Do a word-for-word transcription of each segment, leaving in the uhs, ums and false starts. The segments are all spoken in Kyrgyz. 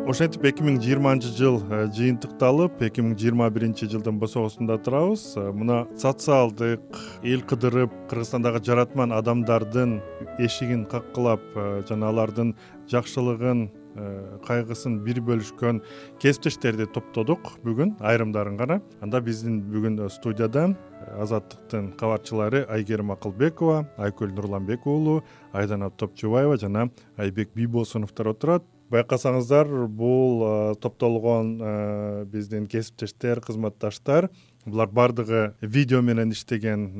Ошентип эки миң жыйырманчы жыл жыйынтыкталып, эки миң жыйырма биринчи жылдын босогосунда турабыз. Мына социалдык, эл кыдырып, Кыргызстандагы жаратман адамдардын эшигин каккылап жана алардын жакшылыгын, кайгысын бир бөлүшкөн кесиптештерди топтодук бүгүн, айрымдарын гана. Анда биздин бүгүн студияда Азаттыктын кабарчылары Айгерим Акылбекова, Айкөл Нурланбек уулу, Айдана Топчубаева жана Айбек Бийбосуновдор отурат. Байкасаңыздар, бул топтолгон биздин кесиптештер, кызматташтар. Булар бардыгы видео менен иштеген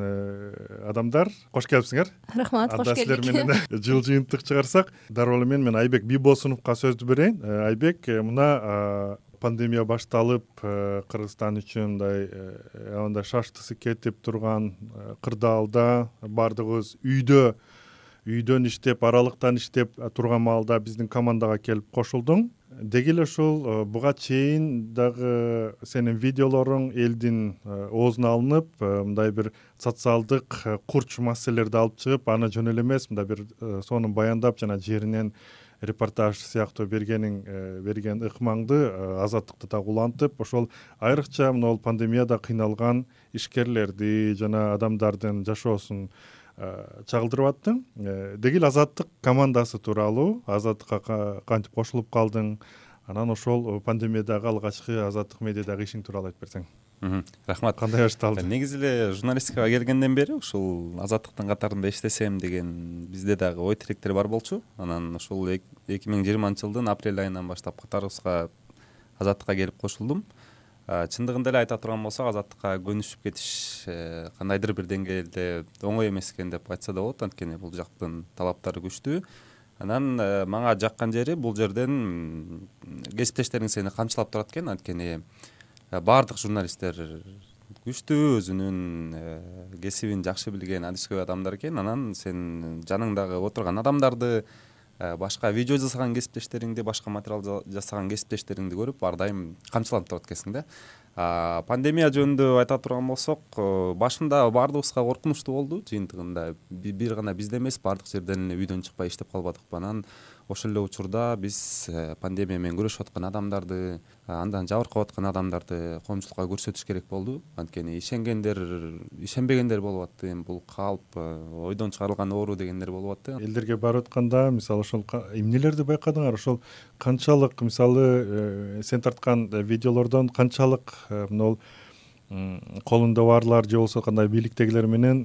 адамдар. Кош келипсиңер. Рахмат, кош келдик. Анда силер менен жыл жыйынтык чыгарсак, дароо эле мен мен Айбек Бийбосуновго сөздү берейин. Айбек, мына пандемия башталып, Кыргызстан үчүн мындай аябай шаштысы кетип турган кырдаалда бардыгыбыз үйдө үйдөн иштеп, аралыктан иштеп турган маалда биздин командага келип кошулдуң. Деги эле ушул буга чейин дагы сенин видеолоруң элдин оозуна алынып, мындай бир социалдык курч маселелерди алып чыгып, аны жөн эле эмес, мындай бир сонун баяндап жана жеринен репортаж сыяктуу бергениң берген ыкмаңды Азаттыкты дагы улантып, ошол айрыкча мына бул пандемияда кыйналган ишкерлерди жана адамдардын жашоосун чагылдырып аттың. Деги эле Азаттык командасы тууралуу, Азаттыкка кантип кошулуп калдың, анан ошол пандемиядагы алгачкы Азаттык медиадагы ишиң тууралуу айтып берсең. Рахмат. Кандай башталды? Негизи эле журналистикага келгенден бери ушул Азаттыктын катарында иштесем деген бизде дагы ой тилектер бар болчу. Анан ушул эки миң жыйырманчы жылдын апрель айынан баштап катарыбызга Азаттыкка келип кошулдум. Чындыгында эле айта турган болсок, Азаттыкка көнүшүп кетиш кандайдыр бир деңгээлде оңой эмес экен деп айтса да болот, анткени бул жактын талаптары күчтүү. Анан мага жаккан жери бул жерден кесиптештериң сени камчылап турат экен, анткени баардык журналисттер күчтүү, өзүнүн кесибин жакшы билген адискөй адамдар экен. Анан сен жаныңдагы отурган адамдарды, башка видео жасаган кесиптештериңди, башка материал жасаган кесиптештериңди көрүп ар дайым камчыланып турат экенсиң да. Пандемия жөнүндө айта турган болсок, башында баардыгыбызга коркунучтуу болду. Жыйынтыгында бир гана бизде эмес, баардык жерден эле үйдөн чыкпай иштеп калбадыкпы. Анан ошол эле учурда биз пандемия менен күрөшүп аткан адамдарды, андан жабыркап аткан адамдарды коомчулукка көрсөтүш керек болду. Анткени ишенгендер, ишенбегендер болуп атты. Бул калп, ойдон чыгарылган оору дегендер болуп атты. Элдерге барып атканда, мисалы ошол эмнелерди байкадыңар? Ошол канчалык, мисалы, сен тарткан видеолордон канчалык мына колунда барлар же болбосо кандай бийликтегилер менен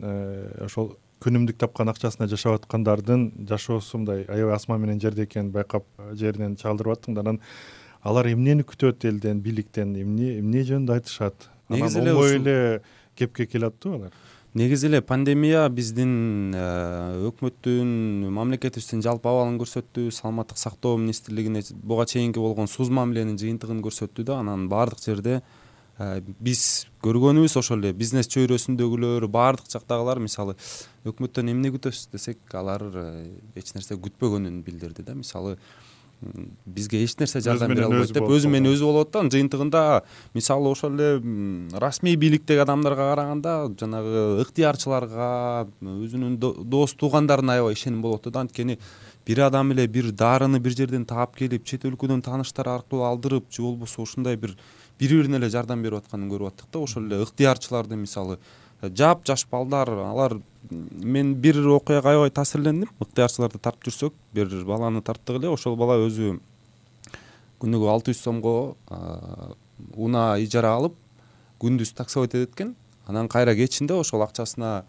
ошол күнүмдүк тапкан акчасына жашап аткандардын жашоосу мындай аябай асман менен жерде экенин байкап жеринен чагылдырып аттың да. Анан алар эмнени күтөт элден, бийликтен, эмне эмне жөнүндө айтышат? Анан оңой эле кепке келип аттыбы алар? Негизи эле пандемия биздин өкмөттүн, мамлекетибиздин жалпы абалын көрсөттү, саламаттык сактоо министрлигине буга чейинки болгон суз мамиленин жыйынтыгын көрсөттү да. Анан баардык жерде биз көргөнүбүз ошол эле бизнес чөйрөсүндөгүлөр, баардык жактагылар, мисалы, өкмөттөн эмне күтөсүз десек, алар эч нерсе күтпөгөнүн билдирди да. Мисалы, бизге эч нерсе жардам бере албайт деп өзү менен өзү болуп аттан. Жыйынтыгында мисалы ошол эле расмий бийликтеги адамдарга караганда жанагы ыктыярчыларга, өзүнүн дос туугандарына аябай ишеним болуп атты да. Анткени бир адам эле бир дарыны бир жерден таап келип, чет өлкөдөн тааныштар аркылуу алдырып, же болбосо ушундай бир бири-бирине эле жардам берип атканын көрүп аттык да. Ошол эле ыктыярчыларды, мисалы, жап жаш балдар, алар, мен бир окуяга аябай таасирлендим. Ыктыярчыларды тартып жүрсөк, бир баланы тарттык эле, ошол бала өзү күнүгө алты жүз сомго унаа ижара алып, күндүз таксовать этет экен. Анан кайра кечинде ошол акчасына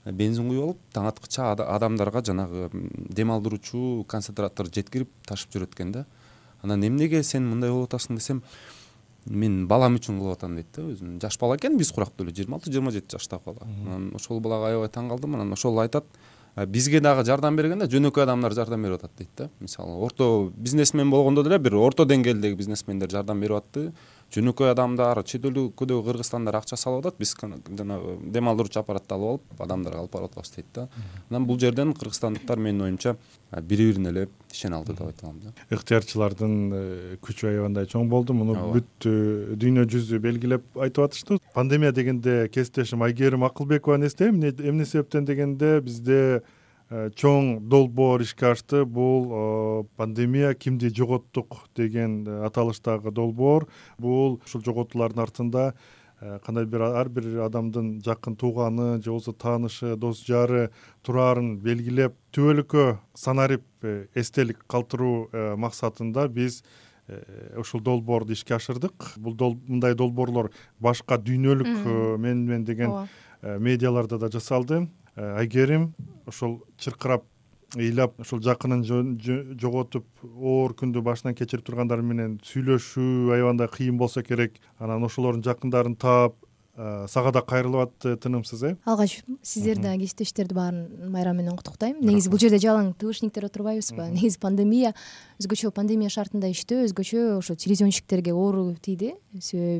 бензин куюп алып, таң аткыча адамдарга жанагы дем алдыруучу концентратор жеткирип ташып жүрөт экен да. Анан эмнеге сен мындай болуп атасың десем, мен балам үчүн кылып атам дейт да. Өзүнүн жаш бала экен, биз курактуу эле жыйырма алты жыйырма жети жаштагы бала. Анан ошол балага аябай таң калдым. Анан ошол айтат, бизге дагы жардам бергенде жөнөкөй адамдар жардам берип атат дейт да. Мисалы, орто бизнесмен болгондо деле бир орто деңгээлдеги бизнесмендер жардам берип атты. Жөнөкөй адамдар, чет өлкөдөгү кыргызстандар акча салып атат, биз жанагы дем алдыруучу аппаратты алып алып, адамдарга алып барып атабыз дейт да. Анан бул жерден кыргызстандыктар менин оюмча бири-бирине эле ишене алды деп айта алам да. Ыктыярчылардын күчү аябай чоң болду. Муну бүт дүйнө жүзү белгилеп айтып атышты. Пандемия дегенде кесиптешим Айгерим Акылбекованын эстейм. Эмне себептен дегенде бизде чоң долбоор ишке ашты. Бул пандемия кимди жоготтук деген аталыштагы долбоор. Бул ушул жоготуулардын артында кандай бир ар бир адамдын жакын тууганы же болбосо таанышы, дос жары тураарын белгилеп, түбөлүккө санарип эстелик калтыруу максатында биз ушул долбоорду ишке ашырдык. Бул мындай долбоорлор башка дүйнөлүк мен мен деген медиаларда да жасалды. Айгерим ушул чыркырап ыйлап ушул жакынын жоготуп оор күндү башынан кечирип тургандар менен сүйлөшүү аябагандай кыйын болсо керек. Анан ошолордун жакындарын таап сага да кайрылып атты тынымсыз. э Алгач сиздер да кесиптештерди баарын майрам менен куттуктайм. Негизи бул жерде жалаң тыбышниктер отурбайбызбы? Негизи пандемия өзгөчө пандемия шартында иштөө өзгөчө ошо телевизионщиктерге оор тийди.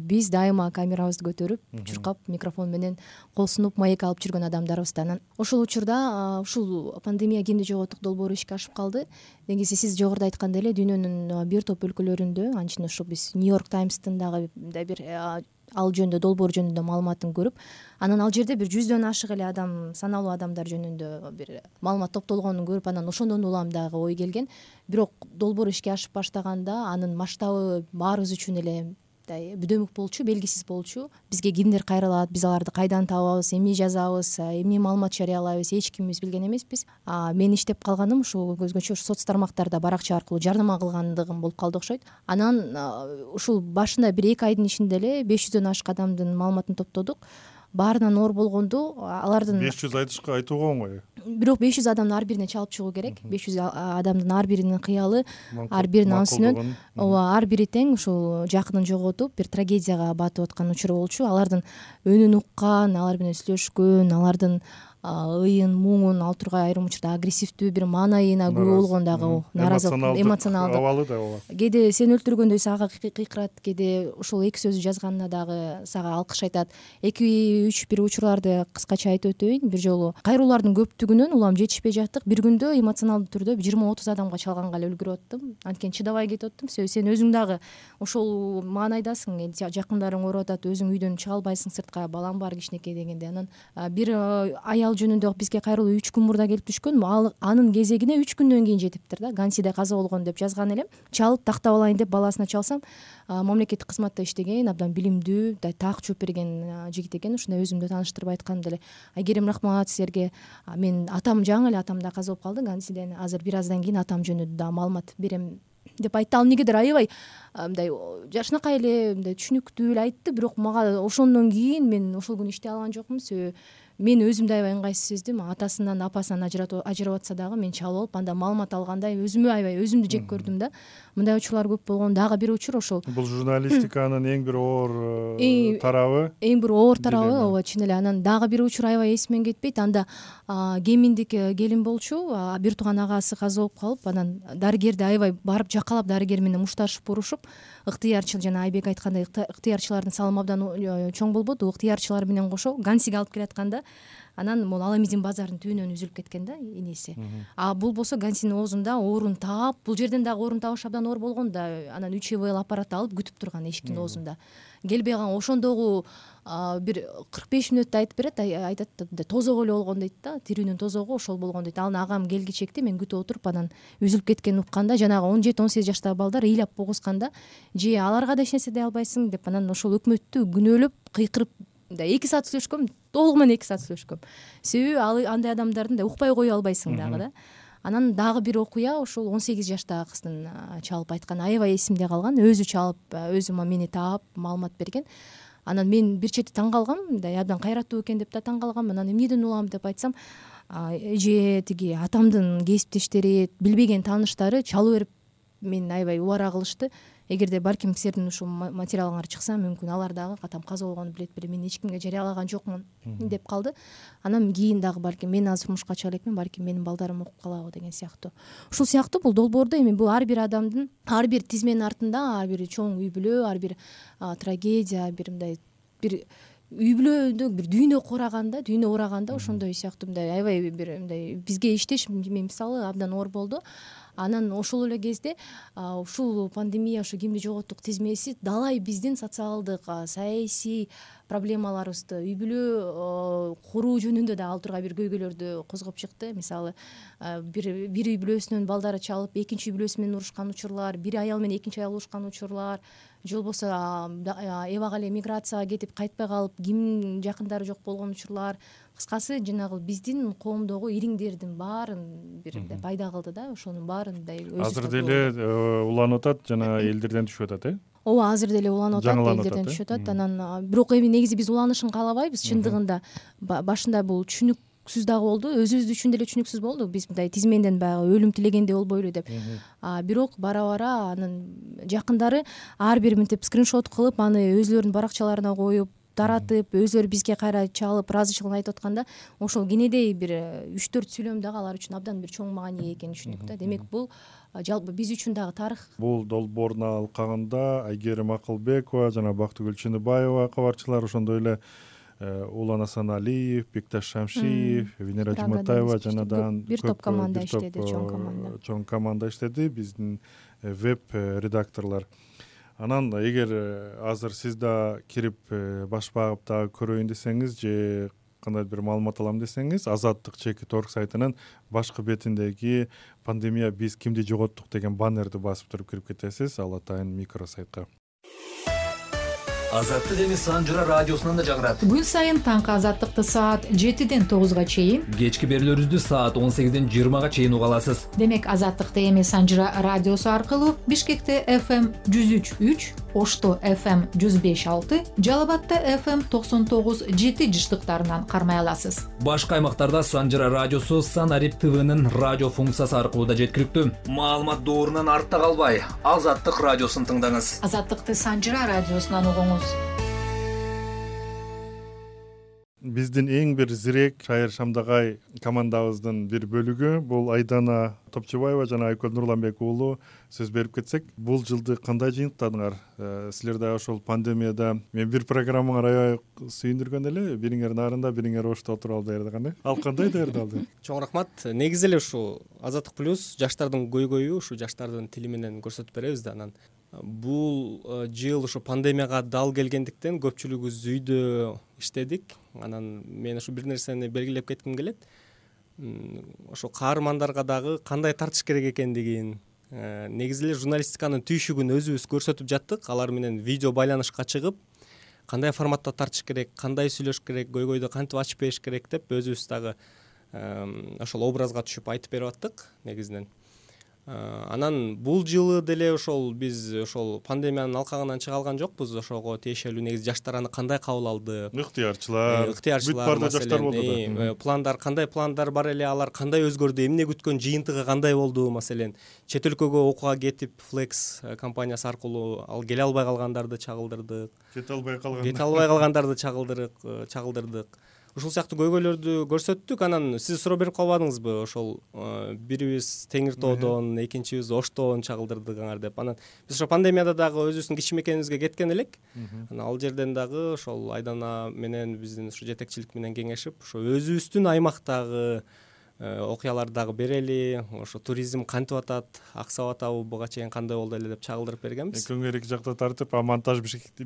Биз дайыма камерабызды көтөрүп, чуркап, микрофон менен кол сунуп, маек алып жүргөн адамдарыбыздан. Ошол учурда ушул пандемия кимди жоготтук долбоору ишке ашып калды. Негизи сиз жогоруда айткандай эле дүйнөнүн бир топ өлкөлөрүндө, анчын ошо биз Нью-Йорк Таймстын дагы бир ал жөнүндө долбоор жөнүндө маалыматын көрүп, анан ал жерде бир жүздөн ашык эле адам, саналуу адамдар жөнүндө бир маалымат топтолгонун көрүп, анан ошондон улам дагы ой келген. Бирок долбоор ишке ашып баштаганда анын масштабы баарыбыз үчүн эле бүдөмүк болчу, белгисиз болчу. Бизге кимдер кайрылат, биз аларды кайдан табабыз, эмне жазабыз, эмне маалымат жарыялайбыз, эч кимибиз билген эмеспиз. Мен иштеп калганым ушул өзгөчө соц тармактарда баракча аркылуу жардама кылгандыгым болуп калды окшойт. Анан ушул башында бир эки айдын ичинде эле беш жүздөн ашык адамдын маалыматын топтодук. Баарынан оор болгонду алардын беш жүз айтышка айтууга оңой. Бирок беш жүз адамдын ар бирине чалып чыгуу керек. беш жүз адамдын ар биринин кыялы, ар биринин анысынан ооба ар бири тең ушул жакынын жоготуп, бир трагедияга батып аткан учуру болчу. Алардын үнүн уккан, алар менен сүйлөшкөн, алардын ыйын, муңун, ал тургай айрым учурда агрессивдүү бир маанайына күбө болгон дагы наразылык, эмоционалдык абалы да ооба. Кээде сени өлтүргөндөй сага кыйкырат, кээде ушул эки сөздү жазганына дагы сага алкыш айтат. эки үч бир учурларды кыскача айтып өтөйүн. Бир жолу кайруулардын көптүгүнөн улам жетишпей жаттык. Бир күндө эмоционалдуу түрдө жыйырма отуз адамга чалганга эле үлгүрүп аттым. Анткени чыдабай кетип аттым. Сен өзүң дагы ошол маанайдасың, жакындарың ооруп атат, өзүң үйдөн чыга албайсың сыртка, балаң бар кичинекей дегенде. Анан бир аял жөнүндө бизге кайрылуу үч күн мурда келип түшкөн. Ал анын кезегине үч күндөн кийин жетиптир да. Гансиде каза болгон деп жазган элем. Чалып тактап алайын деп баласына чалсам, мамлекеттик кызматта иштеген, абдан билимдүү, так жооп берген жигит экен. Ушундай өзүмдү тааныштырып айткам деле. Айгерим, рахмат силерге. Мен атам жаңы эле атам да каза болуп калды Гансиден. Азыр бир аздан кийин атам жөнүндө да маалымат берем деп айтты. Ал эмнегедир аябай мындай жашынакай эле, мындай түшүнүктүү эле айтты, бирок мага ошондон кийин мен ошол күнү иштей алган жокмун. Себеби мен өзүм да аябай ыңгайсыз сездим. Атасынан, апасынан ажырап атса дагы мен чалып алып, анда маалымат алгандай өзүмө аябай өзүмдү жек көрдүм да. Мындай учурлар көп болгон. Дагы бир учур ошол. Бул журналистиканын эң бир оор тарабы. Эң бир оор тарабы, ооба, чын эле. Анан дагы бир учур аябай эсимен кетпейт. Анда Геминдик келин болчу, бир тууган агасы каза болуп калып, анан дарыгерди аябай барып жакалап, дарыгер менен мушташып, урушуп, ыктыярчыл, жана Айбек айткандай, ыктыярчылардын салымы абдан чоң болбоду. Ыктыярчылар менен кошо Гансиге алып келатканда, анан могу Аламизин базарынын түбүнөн үзүлүп кеткен да энеси. А бул болсо Гансинин оозунда оорун таап, бул жерден дагы оорун табыш абдан оор болгон да. Анан үч ЭВЛ аппарат алып күтүп турган эшиктин оозунда. Келбей калган ошондогу бир кырк беш мүнөттө айтып берет, айтат тозого эле болгон дейт да, тирүүнүн тозогу ошол болгон дейт. Аны агам келгичекти мен күтүп отуруп, анан үзүлүп кеткенин укканда, жанагы он жети он сегиз жаштагы балдар ыйлап богусканда, же аларга да эч нерсе дей албайсың деп, анан ошол өкмөттү күнөөлөп, кыйкырып эки саат сүйлөшкөм, толугу менен эки саат сүйлөшкөм. Себеби ал андай адамдардын да укпай кое албайсың дагы да. Анан дагы бир окуя ошол он сегиз жаштагы кыздын чалып айтканы аябай эсимде калган. Өзү чалып, өзү мени таап, маалымат берген. Анан мен бир чети таң калгам, мындай абдан кайраттуу экен деп да таң калгам. Анан эмнеден улам деп айтсам, эже тиги атамдын кесиптештери, билбеген тааныштары чалып берип мен аябай убара кылышты. Эгерде балким силердин ушул материалыңар чыкса, мүмкүн алар дагы атам каза болгону билет беле, мен эч кимге жарыялаган жокмун деп калды. Анан кийин дагы балким мен азыр турмушка чыга элекмин, балким менин балдарым окуп калабы деген сыяктуу. Ушул сыяктуу бул долбоордо эми бул ар бир адамдын, ар бир тизменин артында ар бир чоң үй бүлө, ар бир трагедия, бир мындай бир үй бүлөдө бир дүйнө кураганда, дүйнө ураганда ошондой сыяктуу мындай аябай бир мындай бизге иштеш мисалы абдан оор болду. Анан ошол эле кезде ушул пандемия, ушу кимди жоготтук тизмеси далай биздин социалдык, саясий проблемаларыбызды, үй бүлө куруу жөнүндө да ал тургай бир көйгөйлөрдү козгоп чыкты. Мисалы бир бир үй бүлөсүнөн балдары чалып экинчи үй бүлөсү менен урушкан учурлар, бир аял менен экинчи аял урушкан учурлар, же болбосо эбак эле миграцияга кетип кайтпай калып кимдин жакындары жок болгон учурлар. Кыскасы жанагы биздин коомдогу ириңдердин баарын бир пайда кылды да, ошонун баарын мындай азыр деле уланып атат, жана элдерден түшүп атат, э? ооба, азыр деле уланып атат, элдерден түшүп атат. Анан бирок эми негизи биз уланышын каалабайбыз. Чындыгында башында бул түшүнүксүз дагы болду, өзүбүз үчүн деле түшүнүксүз болду. Биз мындай тизменден баягы өлүм тилегендей болбойлу деп. Бирок бара бара анын жакындары ар бир мынтип скриншот кылып, аны өзлөрүнүн баракчаларына коюп, таратып, өзлөрү бизге кайра чалып, ыраазычылыгын айтып атканда, ошол кенедей бир үч төрт сүйлөм дагы алар үчүн абдан бир чоң маани экенин түшүндүк да. Демек бул жалпы биз үчүн дагы тарых. Бул долбоордун алкагында Айгерим Акылбекова жана Бактыгүл Чыныбаева кабарчылар, ошондой эле Улан Асаналиев, Бекташ Шамшиев, Венера Жуматаева жанадан бир топ команда иштеди, чоң команда. Чоң команда иштеди, биздин веб редакторлор. Анан эгер азыр сиз да кирип баш багып дагы көрөйүн десеңиз же кандайдыр бир маалымат алам десеңиз, Азаттык чекит орг сайтынын башкы бетиндеги пандемия биз кимди жоготтук деген баннерди басып туруп кирип кетесиз, ал атайын микросайтка. Азаттык эми Санжыра радиосунан да жагырат. Күн сайын таңкы Азаттыкты саат жетиден тогузга чейин, кечки берүүлөрүбүздү саат он сегизден жыйырмага чейин уга аласыз. Демек Азаттыкты эми Санжыра радиосу аркылуу Бишкекте эф эм жүз үч үч, Ошто эф эм жүз беш алты, Жалал Абадта эф эм токсон тогуз жети жыштыктарынан кармай аласыз. Башка аймактарда Санжыра радиосу Санарип ТВнын радио функциясы аркылуу да жеткиликтүү. Маалымат доорунан артта калбай, Азаттык радиосун тыңдаңыз. Азаттыкты Санжыра радиосунан угуңуз. Биздин эң бир зирек Шайыр Шамдагай командабыздын бир бөлүгү бул Айдана Топчубаева жана Айкөл Нурланбек уулу сөз берип кетсек, бул жылды кандай жыйынтыктадыңар? Силер да ошол пандемияда мен бир программаңар аябай сүйүндүргөн эле, бириңер нарында, бириңер Ошто отуруп алып даярдаган, э? Ал кандай даярдалды? Чоң рахмат. Негизи эле ушу Азаттык плюс жаштардын көйгөйү, ушу жаштардын тили менен көрсөтүп беребиз да. Анан бул жыл ушу пандемияга дал келгендиктен көпчүлүгүбүз үйдө иштедик. Анан мен ушу бир нерсени белгилеп кетким келет. Ошо каармандарга дагы кандай тартыш керек экендигин, негизи эле журналистиканын түйшүгүн өзүбүз көрсөтүп жаттык. Алар менен видео байланышка чыгып, кандай форматта тартыш керек, кандай сүйлөш керек, көйгөйдү кантип ачып бериш керек деп өзүбүз дагы ошол образга түшүп айтып берип аттык негизинен. Анан бул жылы деле ошол биз ошол пандемиянын алкагынан чыга алган жокпуз. Ошого тиешелүү негизи жаштар аны кандай кабыл алды? Ыктыярчылар, ыктыярчылар бүт баарда жаштар болду да. Пландар кандай пландар бар эле, алар кандай өзгөрдү, эмне күткөн, жыйынтыгы кандай болду? Маселен, чет өлкөгө окууга кетип, Flex компаниясы аркылуу ал келе албай калгандарды чагылдырдык. Кете албай калган. Кете албай калгандарды чагылдырдык, чагылдырдык. Ушул сыяктуу көйгөйлөрдү көрсөттүк. Анан сиз суроо берип калбадыңызбы? Ошол бирибиз Теңир тоодон, экинчибиз Оштон чагылдырдыгыңар деп. Анан биз ошо пандемияда дагы өзүбүздүн кичимекенибизге кеткен элек. Анан ал жерден дагы ошол Айдана менен биздин ушу жетекчилик менен кеңешип, ошо өзүбүздүн аймактагы окуяларды дагы берели, ошо туризм кантип атат, аксап атабы, буга чейин кандай болду эле деп чагылдырып бергенбиз. Экөөңөр эки жакта тартып, а монтаж Бишкекте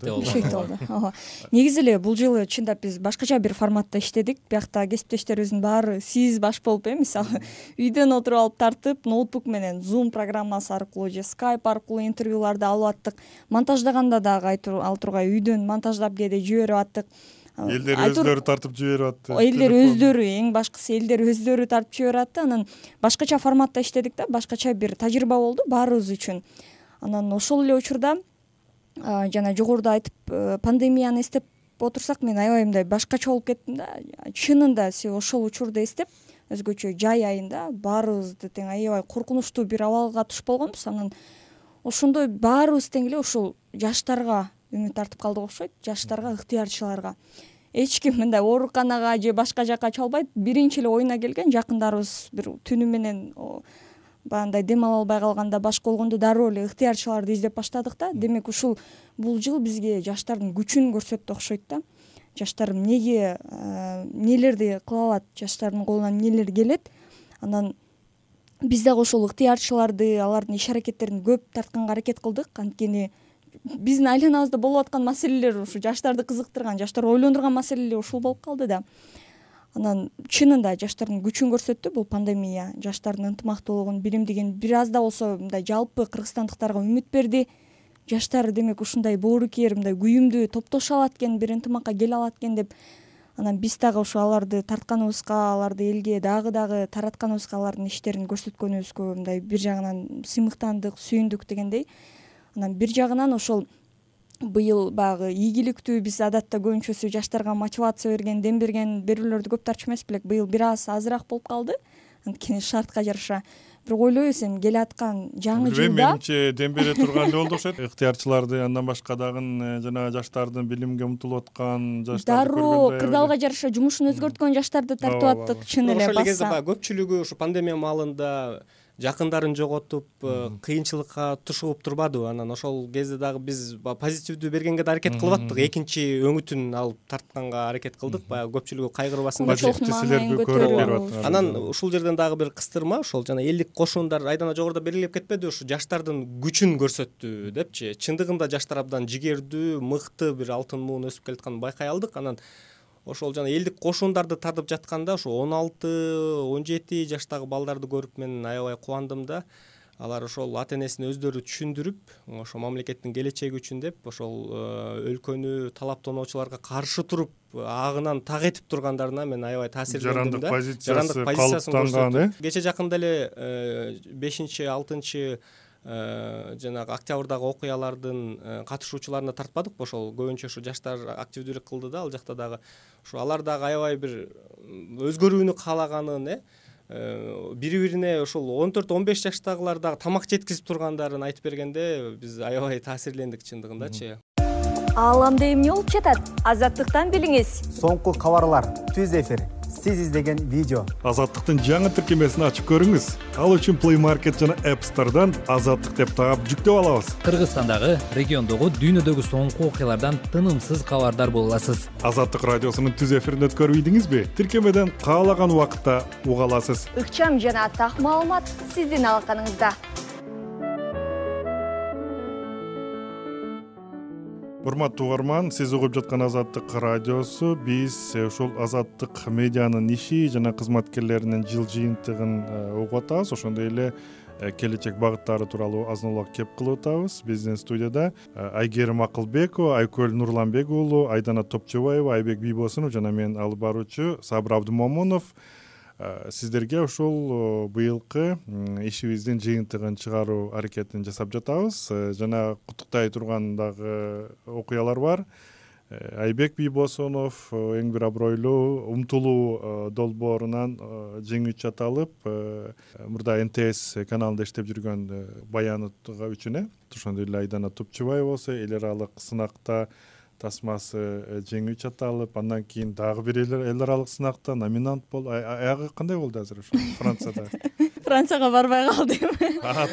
болду. Бишкекте болду. Ооба. Негизи эле бул жылы чындап биз башкача бир форматта иштедик. Биякта кесиптештерибиздин баары сиз баш болуп, э, мисалы, үйдөн отуруп алып тартып, ноутбук менен Zoom программасы аркылуу же Skype аркылуу интервьюларды алып аттык. Монтаждаганда дагы ал тургай үйдөн монтаждап кээде жиберип аттык. Элдер өздөрү тартып жиберип атты. Элдер өздөрү, эң башкысы элдер өздөрү тартып жиберип атты. Анан башкача форматта иштедик да, башкача бир тажрыйба болду баарыбыз үчүн. Анан ошол эле учурда жана жогоруда айтып, пандемияны эстеп отурсак, мен аябай мындай башкача болуп кеттим да. Чынында сиз ошол учурда эстеп, өзгөчө жай айында баарыбызды тең аябай коркунучтуу бир абалга туш болгонбуз. Анан ошондой баарыбыз тең эле ошол жаштарга үмүт тартып калдык окшойт, жаштарга, ыктыярчыларга. Эч ким мындай ооруканага же башка жакка чалбайт. Биринчи эле оюна келген жакындарыбыз бир түнү менен баягындай дем ала албай калганда, башка болгондо дароо эле ыктыярчыларды издеп баштадык да. Демек ушул бул жыл бизге жаштардын күчүн көрсөттү окшойт да. Жаштар эмнеге, эмнелерди кыла алат, жаштардын колунан эмнелер келет. Анан биз дагы ошол ыктыярчыларды, алардын иш аракеттерин көп тартканга аракет кылдык. Анткени биздин айланабызда болуп аткан маселелер ушу жаштарды кызыктырган, жаштарды ойлондурган маселелер ушул болуп калды да. Анан чынында жаштардын күчүн көрсөттү бул пандемия, жаштардын ынтымактуулугун, биримдигин бир аз да болсо мындай жалпы кыргызстандыктарга үмүт берди. Жаштар демек ушундай боорукер, мындай күйүмдүү топтоша алат экен, бир ынтымакка келе алат экен деп. Анан биз дагы ушу аларды тартканыбызга, аларды элге дагы дагы таратканыбызга, алардын иштерин көрсөткөнүбүзгө мындай бир жагынан сыймыктандык, сүйүндүк дегендей. Анан бир жагынан ошол быйыл баягы ийгиликтүү, биз адатта көбүнчөсү жаштарга мотивация берген, дем берген берүүлөрдү көп тартчу эмес белек. Быйыл бир аз азыраак болуп калды. Анткени шартка жараша. Бирок ойлойбуз эми келе аткан жаңы жылда менимче дем бере турган эле болду окшойт. Ыктыярчыларды, андан башка дагы жанагы жаштардын билимге умтулуп аткан жаштарды дароо кырдаалга жараша жумушун өзгөрткөн жаштарды тартып аттык. Чын эле ошол кезде баса. баягы көпчүлүгү ушу пандемия маалында жакындарын жоготуп, кыйынчылыкка тушуп турбадыбы? Анан ошол кезде дагы биз позитивдүү бергенге да аракет кылып аттык. Экинчи өңүтүн алып тартканга аракет кылдык. Баягы көпчүлүгү кайгырбасын деп. Силерге көрүп берип атат. Анан ушул жерден дагы бир кыстырма, ошол жана элдик кошундар айдана жогоруда белгилеп кетпеди, ушу жаштардын күчүн көрсөттү депчи. Чындыгында жаштар абдан жигердүү, мыкты бир алтын муун өсүп келатканын байкай алдык. Анан ошол жана элдик кошундарды тартып жатканда ушу он алты он жети жаштагы балдарды көрүп мен аябай кубандым да. Алар ошол ата энесин өздөрү түшүндүрүп, ошо мамлекеттин келечеги үчүн деп, ошол өлкөнү талаптоонуучуларга каршы туруп, агынан так этип тургандарына мен аябай таасирлендим да. Жарандык позициясы калыптанган, э? Кече жакында эле бешинчи алтынчы жанагы октябрдагы окуялардын катышуучуларына тартпадыкпы? Ошол көбүнчө ушу жаштар активдүүлүк кылды да, ал жакта дагы. Ушу алар дагы аябай бир өзгөрүүнү каалаганын, э бири-бирине ошол он төрт он беш жаштагылар дагы тамак жеткизип тургандарын айтып бергенде биз аябай таасирлендик чындыгындачы. Ааламда эмне болуп жатат? Азаттыктан билиңиз. Соңку кабарлар, түз эфир, сиз издеген видео. Азаттыктын жаңы тиркемесин ачып көрүңүз. Ал үчүн Play Market жана App Store'дан Азаттык деп таап жүктөп алабыз. Кыргызстандагы, региондогу, дүйнөдөгү соңку окуялардан тынымсыз кабардар боло аласыз. Азаттык радиосунун түз эфирин өткөрбөйдүңүзбү? Тиркемеден каалаган убакытта уга аласыз. Ыкчам жана так маалымат сиздин алаканыңызда. Урматтуу угарман, сиз угуп жаткан Азаттык радиосу. Биз ушул Азаттык медианын иши жана кызматкерлеринин жыл жыйынтыгын угуп атабыз. Ошондой эле келечек багыттары тууралуу азын улак кеп кылып атабыз. Биздин студияда Айгерим Акылбекова, Айкөл Нурланбек уулу, Айдана Топчобаева, Айбек Бийбосунов жана мен алып баруучу Сабыр Абдымомунов сиздерге ушул быйылкы ишибиздин жыйынтыгын чыгаруу аракетин жасап жатабыз. Жана куттуктай турган дагы окуялар бар. Айбек Бийбосунов эң бир абройлуу умтулуу долбоорунан жеңүүчү аталып, мурда Н Т С каналында иштеп жүргөн баянытга үчүн, ошондой эле Айдана Топчобаева болсо эл аралык сынакта тасмасы жеңүүчү аталып, андан кийин дагы бир эл аралык сынакта номинант болду. Аягы кандай болду азыр ошо Францияда? Францияга барбай калдым.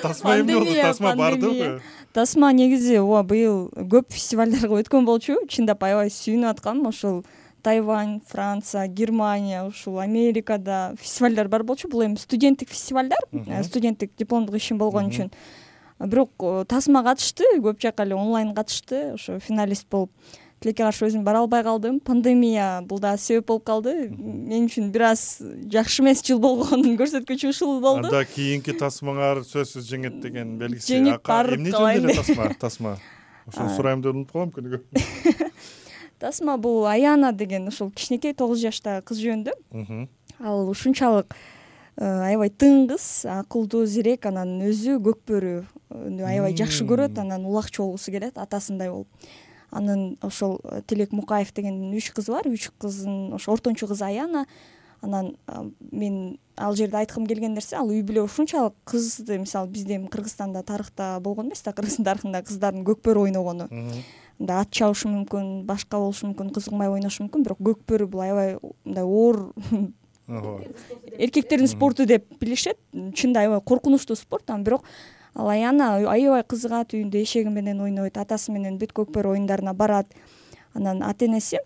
Тасма эмне болду? Тасма бардыбы? Тасма негизи ооба быйыл көп фестивалдарга өткөн болчу. Чындап аябай сүйүнүп аткам. Ошол Тайвань, Франция, Германия, ушул Америкада фестивалдар бар болчу. Бул эми студенттик фестивалдар, студенттик дипломдук ишим болгон үчүн. Бирок Тасма катышты, көп жака эле онлайн катышты, ошо финалист болуп. Тилекке каршы өзүм бара албай калдым. Пандемия бул да себеп болуп калды. Мен үчүн бир аз жакшы эмес жыл болгонун көрсөткүчү ушул болду. Анда кийинки тасмаңар сөзсүз жеңет деген белгиси. Жеңип барып эмне жөнүндө эле тасма? Тасма. Ошону сурайм деп унутуп калам күнүгө. Тасма бул Аяна деген ошол кичинекей тогуз жаштагы кыз жөнүндө. Ал ушунчалык аябай тыңгыз, акылдуу, зерек, анан өзү көкбөрү аябай жакшы көрөт, анан улакчы болгусу келет, атасындай болуп. Анын ошол Тилек Мукаев деген үч кызы бар, үч кыздын ошо ортончу кызы Аяна. Анан мен ал жерде айткым келген нерсе, ал үй бүлө ушунчалык кызды, мисалы бизде эми Кыргызстанда тарыхта болгон эмес да, Кыргыздын тарыхында кыздардын көкбөрү ойногону. Мында ат чабышы мүмкүн, башка болушу мүмкүн, кыз угмай ойношу мүмкүн, бирок көкбөрү бул аябай мындай оор эркектердин спорту деп билишет. Чында аябай коркунучтуу спорт, анан бирок ал Аяна аябай кызыгат, үйүндө эшеги менен ойнойт, атасы менен бүт көкбөрү оюндарына барат. Анан ата энеси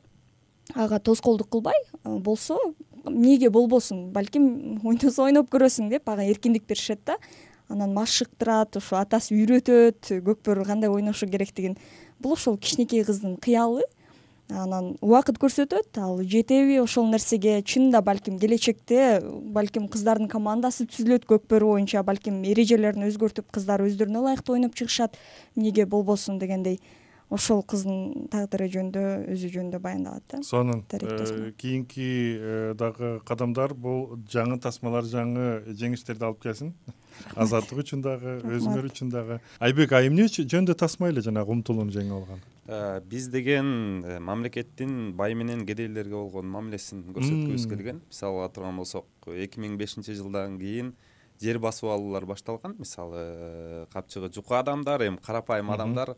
ага тоскоолдук кылбай, болсо эмнеге болбосун, балким ойносо ойноп көрөсүң деп ага эркиндик беришет да. анан машыктырат, ошо атасы үйрөтөт көкбөрү кандай ойношу керектигин. Бул ошол кичинекей кыздын кыялы. Анан убакыт көрсөтөт, ал жетеби ошол нерсеге. Чынында балким келечекте балким кыздардын командасы түзүлөт көкбөрү боюнча, балким эрежелерин өзгөртүп кыздар өздөрүнө ылайыктуу ойноп чыгышат. Эмнеге болбосун дегендей ошол кыздын тагдыры жөнүндө, өзү жөнүндө баяндалат да. Сонун кийинки дагы кадамдар бул жаңы тасмалар, жаңы жеңиштерди алып келсин. Азаттык үчүн дагы, өзүңөр үчүн дагы. Айбек, а эмне жөнүндө тасма эле жанагы умтулууну жеңип алган? Биз деген мамлекеттин бай менен кедейлерге болгон мамилесин көрсөткүбүз келген. Мисалы ала турган болсок, эки миң бешинчи жылдан кийин жер басып алуулар башталган. Мисалы капчыгы жука адамдар, эми карапайым адамдар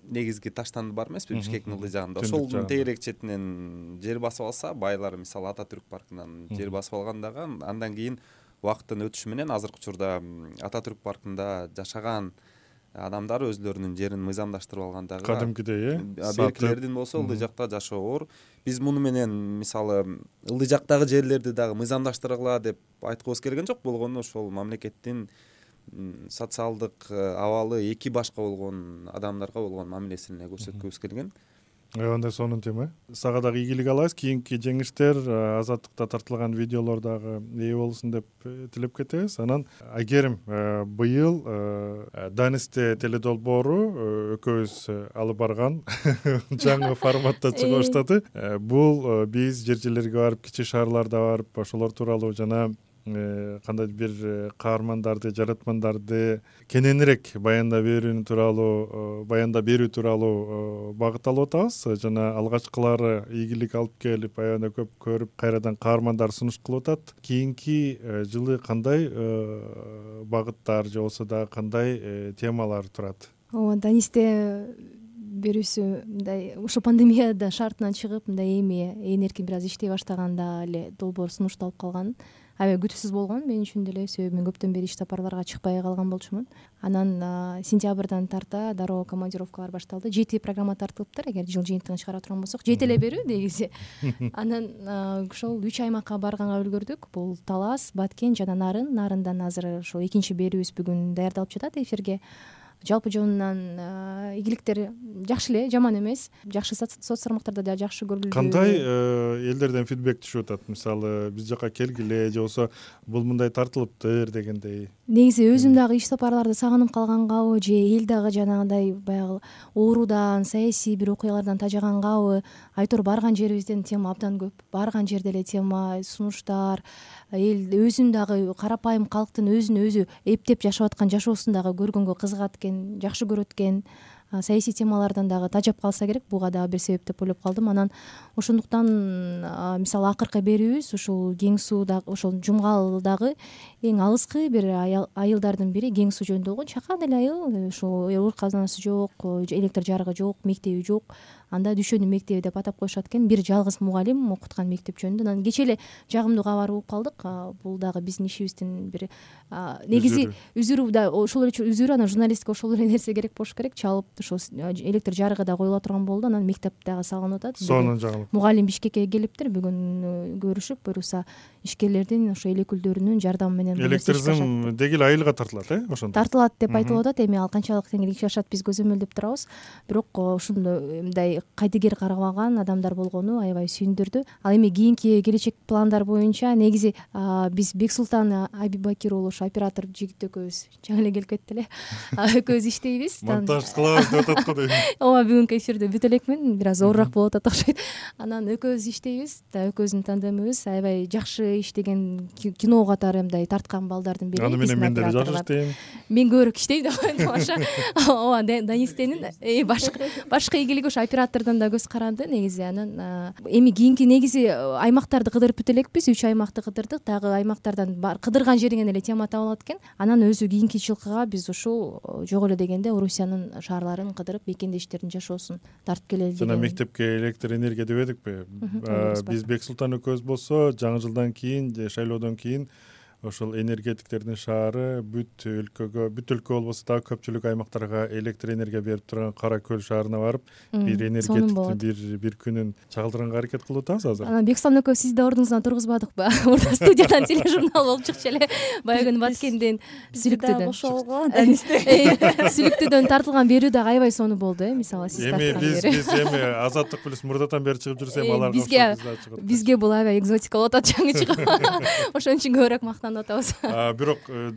негизги таштанды бар эмеспи, Бишкектин ылдый жагында. Ошолдун тегерек четинен жер басып алса, байлар мисалы Ататүрк паркынан жер басып алгандагы, андан кийин убакыттын өтүшү менен азыркы учурда Ататүрк паркында жашаган адамдар өзлөрүнүн жерин мыйзамдаштырып алгандагы кадимкидей, э, беркилердин болсо ылдый жакта жашоо оор. Биз муну менен мисалы ылдый жактагы жерлерди дагы мыйзамдаштыргыла деп айткыбыз келген жок. Болгону ошол мамлекеттин социалдык абалы эки башка болгон адамдарга болгон мамилесин көрсөткүбүз келген. Андай сонун тема. Сага дагы ийгилик алабыз. Кийинки жеңиштер, Азаттыкта тартылган видеолор дагы ээ болсун деп тилеп кетебиз. Анан Айгерим, быйыл Данисте теледолбоору экөөбүз алып барган жаңы форматта чыга баштады. Бул биз жер жерлерге барып, кичи шаарларда барып, ошолор тууралуу жана кандайдыр бир каармандарды, жаратмандарды кененирээк баяндап берүү тууралуу баяндап берүү тууралуу багыт алып атабыз. Жана алгачкылары ийгилик алып келип, аябай көп көрүп, кайрадан каармандар сунуш кылып атат. Кийинки жылы кандай багыттар же болсо дагы кандай темалар турат? Ооба, Данисте берүүсү мындай ушул пандемияда шартынан чыгып, мындай эми ээн эркин бир аз иштей баштаганда эле долбоор сунушталып калган. Аябай күтүүсүз болгон мен үчүн деле, себеби мен көптөн бери иш сапарларга чыкпай калган болчумун. Анан сентябрдан тарта дароо командировкалар башталды. Жети программа тартылыптыр, эгер жыл жыйынтыгын чыгара турган болсок. Жети эле берүү негизи. Анан ошол үч аймакка барганга үлгөрдүк. Бул Талас, Баткен жана Нарын. Нарындан азыр ошо экинчи берүүбүз бүгүн даярдалып жатат эфирге. Жалпы жонунан ийгиликтер жакшы эле, жаман эмес. Жакшы соц тармактарда да жакшы көрүлдү. Кандай элдерден фидбек түшүп атат? Мисалы биз жака келгиле же болсо бул мындай тартылыптыр дегендей. Негизи өзүм дагы иш сапарларды сагынып калгангабы же эл дагы жанагындай баягы оорудан, саясий бир окуялардан тажагангабы, айтор барган жерибизден тема абдан көп. Барган жерде эле тема, сунуштар, эл өзүн дагы карапайым калктын өзүн өзү эптеп жашап аткан жашоосун дагы көргөнгө кызыгат экен, жакшы көрөт экен. Саясий темалардан дагы тажап калса керек, буга дагы бир себеп деп ойлоп калдым. Анан ошондуктан мисалы акыркы берүүбүз ушул Кең сууда, ошол Жумгал-дагы эң алыскы бир айылдардын бири Кең суу жөнүндө болгон. Чакан эле айыл, ошол оор казанасы жок, электр жарыгы жок, мектеби жок. Анда Дүшөнүн мектеби деп атап коюшат экен. Бир жалгыз мугалим окуткан мектеп жөнүндө. Анан кечээ эле жагымдуу кабар угуп калдык. Бул дагы биздин ишибиздин бир негизи үзүрү да, ошол эле үзүрү. Анан журналистика ошол эле нерсе керек болуш керек. Чалып ошол электр жарыгы да коюла турган болду. Анан мектеп дагы салынып атат. Сонун жагылып. Мугалим Бишкекке келиптир. Бүгүн көрүшүп, буюрса ишкерлердин ошо эл өкүлдөрүнүн жардамы менен электризм деги эле айылга тартылат, э? Ошондо тартылат деп айтылып атат. Эми ал канчалык теңирик жашат биз көзөмөлдөп турабыз. Бирок ошондой мындай кайдыгер карабаган адамдар болгону аябай сүйүндүрдү. Ал эми кийинки келечек пландар боюнча негизи биз Бексултан Абибакир уулу, ошо оператор жигит экөөбүз жаңы эле келип кетти эле. Экөөбүз иштейбиз. Монтаж кылабыз деп атат го дейм. Ооба, бүгүнкү эфирде бүтө элекмин, бир аз оорураак болуп атат окшойт. Анан экөөбүз иштейбиз да, экөөбүздүн тандемибиз аябай жакшы иштеген, кино катары мындай тарткан балдардын бири. Аны менен мен деле жакшы иштейм. Мен көбүрөөк иштейм деп коем тамаша. Ооба, Данистенин башка башка ийгилиги ошо оператордон да көз каранды негизи. Анан эми кийинки негизи аймактарды кыдырып бүтө элекпиз. Үч аймакты кыдырдык. Дагы аймактардан кыдырган жериңен эле тема табылат экен. Анан өзү кийинки жылкыга биз ушул жок эле дегенде Орусиянын шаарларын кыдырып, мекендештердин жашоосун тартып келели деген. Жана мектепке электр энергия дебедикпи? Биз Бексултан экөөбүз болсо жаңы жылдан кийин же шайлоодон кийин ошол энергетиктердин шаары бүт өлкөгө, бүт өлкө болбосо дагы көпчүлүк аймактарга электр энергия берип турган Кара Көл шаарына барып бир энергетиктин бир бир күнүн чагылдырганга аракет кылып атабыз азыр. Анан Бексултан экөөбүз сизди ордуңуздан тургузбадыкпы? Мурда студиядан тележурнал болуп чыкчу эле баягы күнү Баткенден Сүлүктөдөн. Кошолго Сүлүктөдөн тартылган берүү дагы аябай сонун болду э, мисалы сиз Эми тарткан биз берүү. биз эми Азаттык плюс мурдатан бери чыгып жүрсөм Э, аларга бизге- чыгат. Бизге бул аябай экзотика болуп атат, жаңы чыгып. Ошон үчүн көбүрөөк мактанып атабыз. А, бирок э,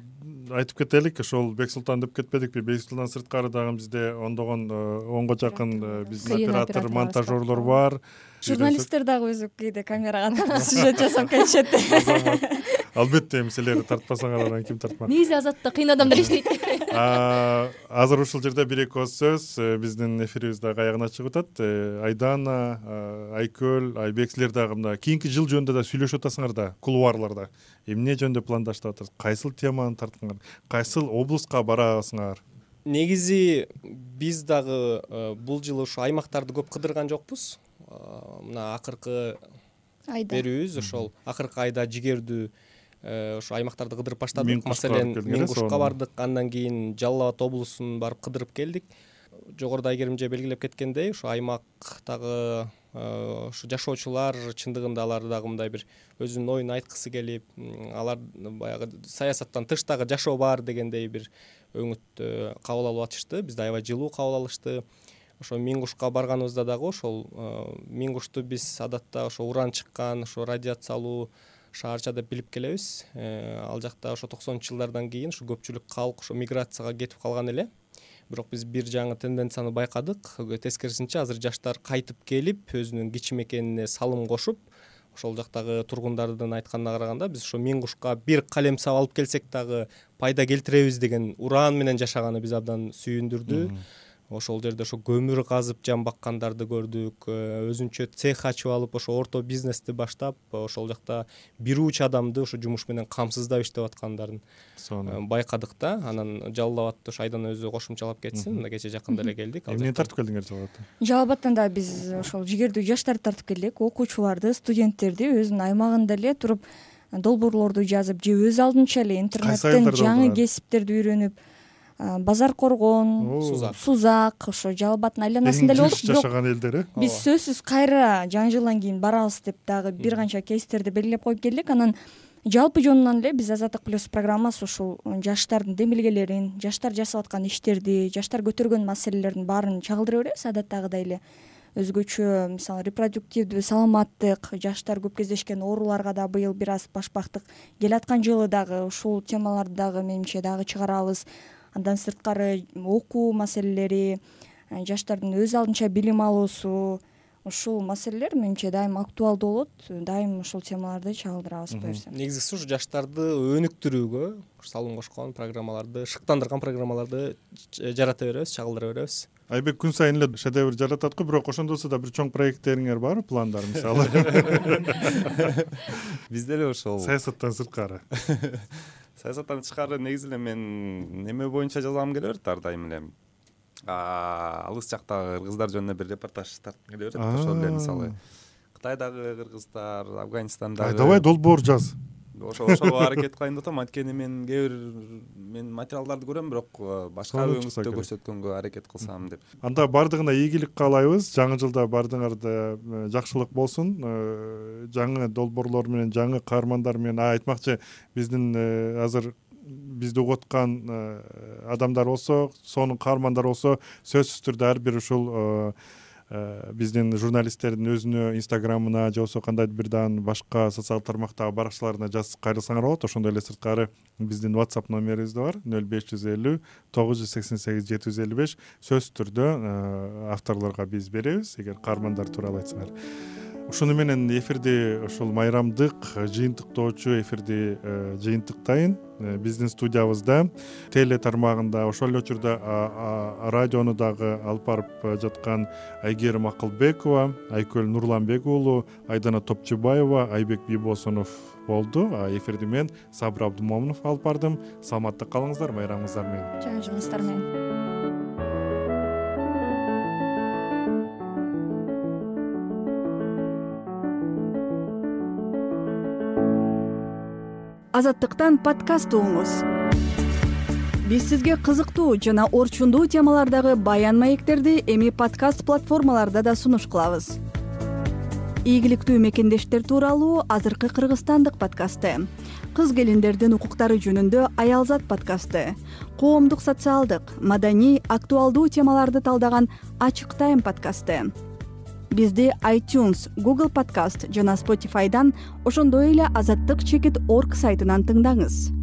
айтып кетелик, ошол Бексултан деп кетпедикпи. Бексултан сырткары дагы бизде ондогон, онго жакын э, биздин Кыйын оператор, операторлорубуз монтажерлор бар. Журналисттер дагы өзү кээде камерага тартып сюжет жасап келишет. Албетте, эми силер тартпасаңар анан ким тартмак? Негизи Азатта кыйын адамдар иштейт. А, азыр ушул жерде бир эки ооз сөз, э, биздин эфирибиз дагы аягына чыгып атат. Э, Айдана, э, Айкөл, Айбек, силер дагы мына кийинки жыл жөнүндө да сүйлөшүп атасыңар да, кулуарларда. Эмне жөнүндө пландаштап атасыңар? Кайсыл теманы тартканыңар? Кайсыл облуска барасыңар? Негизи биз дагы э, бул жылы ушу аймактарды көп кыдырган жокпуз. Э, Мына акыркы Айда. берүүбүз ошол акыркы айда жигердүү э, ошо аймактарды кыдырып баштадык. Миң Кушка Маселен, барып келдиңер, Миң Кушка сонун. бардык, андан кийин Жалал Абад облусун барып кыдырып келдик. Жогоруда Айгерим эже белгилеп кеткендей, ошо аймактагы ошо жашоочулар чындыгында алар дагы мындай бир өзүнүн оюн айткысы келип, м, алар баягы саясаттан тыштагы жашоо бар дегендей бир өңүттү кабыл алып атышты. Бизди аябай жылуу кабыл алышты. Ошо Миң Кушка барганыбызда дагы ошол Миң Кушту биз адатта ошо уран чыккан, ошо радиациялуу шаарча деп билип келебиз. Ал жакта ошо токсонунчу жылдардан кийин ушу көпчүлүк калк ошо миграцияга кетип калган эле. Бирок биз бир жаңы тенденцияны байкадык. Тескерисинче азыр жаштар кайтып келип, өзүнүн кичи мекенине салым кошуп, ошол жактагы тургундардын айтканына караганда биз ошо Миң Кушка бир калем сап алып келсек дагы пайда келтиребиз деген уран менен жашаганы биз абдан сүйүндүрдү. Ошол жерде ошо көмүр казып жан баккандарды көрдүк, өзүнчө цех ачып алып ошо орто бизнести баштап, ошол жакта бир уч адамды ошо жумуш менен камсыздап иштеп аткандарын байкадык да. Анан Жалал Абадты ошо Айдан өзү кошумчалап кетсин, мына кече жакында эле келдик. Эмне тартып келдиңер Жалал Абадта? Жалал Абадтан да биз ошол жигердүү жаштарды тартып келдик, окуучуларды, студенттерди өзүнүн аймагында эле туруп долбоорлорду жазып, же өз алдынча эле интернеттен жаңы кесиптерди үйрөнүп, Базар Коргон, Сузак, ошо Жалал Абадтын айланасында эле болдук. Бирок жашаган элдер э? Биз сөзсүз кайра жаңы жылдан кийин барабыз деп дагы бир канча кейстерди белгилеп коюп келдик. Анан жалпы жонунан эле биз Азаттык плюс программасы ушул жаштардын демилгелерин, жаштар жасап аткан иштерди, жаштар көтөргөн маселелердин баарын чагылдыра беребиз. Адаттагыдай эле өзгөчө, мисалы, репродуктивдүү саламаттык, жаштар көп кездешкен ооруларга да быйыл бир аз башпактык. Келаткан жылы дагы ушул темаларды дагы менимче дагы чыгарабыз. Андан сырткары окуу маселелери, жаштардын өз алдынча билим алуусу, ушул маселелер менимче дайым актуалдуу болот. Дайым ушул темаларды чагылдырабыз буюрса. Негизгиси ушу жаштарды өнүктүрүүгө салым кошкон программаларды, шыктандырган программаларды жарата беребиз, чагылдыра беребиз. Айбек күн сайын эле шедевр жаратат го, бирок ошондо да бир чоң проекттериңер барбы, пландар мисалы? Бизде эле ошол саясаттан сырткары. Саясаттан тышкары негизи эле мен неме боюнча жазгым келе берет ар дайым эле. Алыс жактагы кыргыздар жөнүндө бир репортаж тарткым келе берет. Ошол эле мисалы Кытайдагы кыргыздар, Афганистандагы. Давай долбоор жаз. Ошо ошого аракет кылайын деп атам. Анткени мен кээ бир мен материалдарды көрөм, бирок башка өңүттө көрсөткөнгө аракет кылсам деп. Анда бардыгына ийгилик каалайбыз. Жаңы жылда бардыгыңарда жакшылык болсун. Жаңы долбоорлор менен, жаңы каармандар менен, айтмакчы, биздин азыр бизди угуп аткан адамдар болсо, сонун каармандар болсо, сөзсүз түрдө ар бир ушул биздин журналисттердин өзүнө инстаграмына же болбосо кандайдыр бир дагы башка социалдык тармактагы баракчаларына жазып кайрылсаңар болот. Ошондой эле сырткары биздин WhatsApp номерибиз да бар: нөл беш жүз элүү тогуз жүз сексен сегиз жети жүз элүү беш. Сөзсүз түрдө авторлорго биз беребиз, эгер каармандар тууралуу айтсаңар. Ушуну менен эфирди ушул майрамдык жыйынтыктоочу эфирди жыйынтыктайын. Биздин студиябызда теле тармагында, ошол эле учурда радиону дагы алып барып жаткан Айгерим Акылбекова, Айкөл Нурланбек уулу, Айдана Топчубаева, Айбек Бибосунов болду. Эфирди мен Сабыр Абдумомунов алып бардым. Саламатта калыңыздар, майрамыңыздар менен. Жаңы жылыңыздар менен. Азаттыктан подкаст угуңуз. Биз сизге кызыктуу жана орчундуу темалардагы баян маектерди эми подкаст платформаларда да сунуш кылабыз. Ийгиликтүү мекендештер тууралуу азыркы кыргызстандык подкасты, кыз келиндердин укуктары жөнүндө Аялзат подкасты, коомдук социалдык, маданий, актуалдуу темаларды талдаган Ачык Тайм подкасты. Бизди iTunes, Google Podcast жана Spotify'дан, ошондой эле азаттык чекит орг сайтынан тыңдаңыз.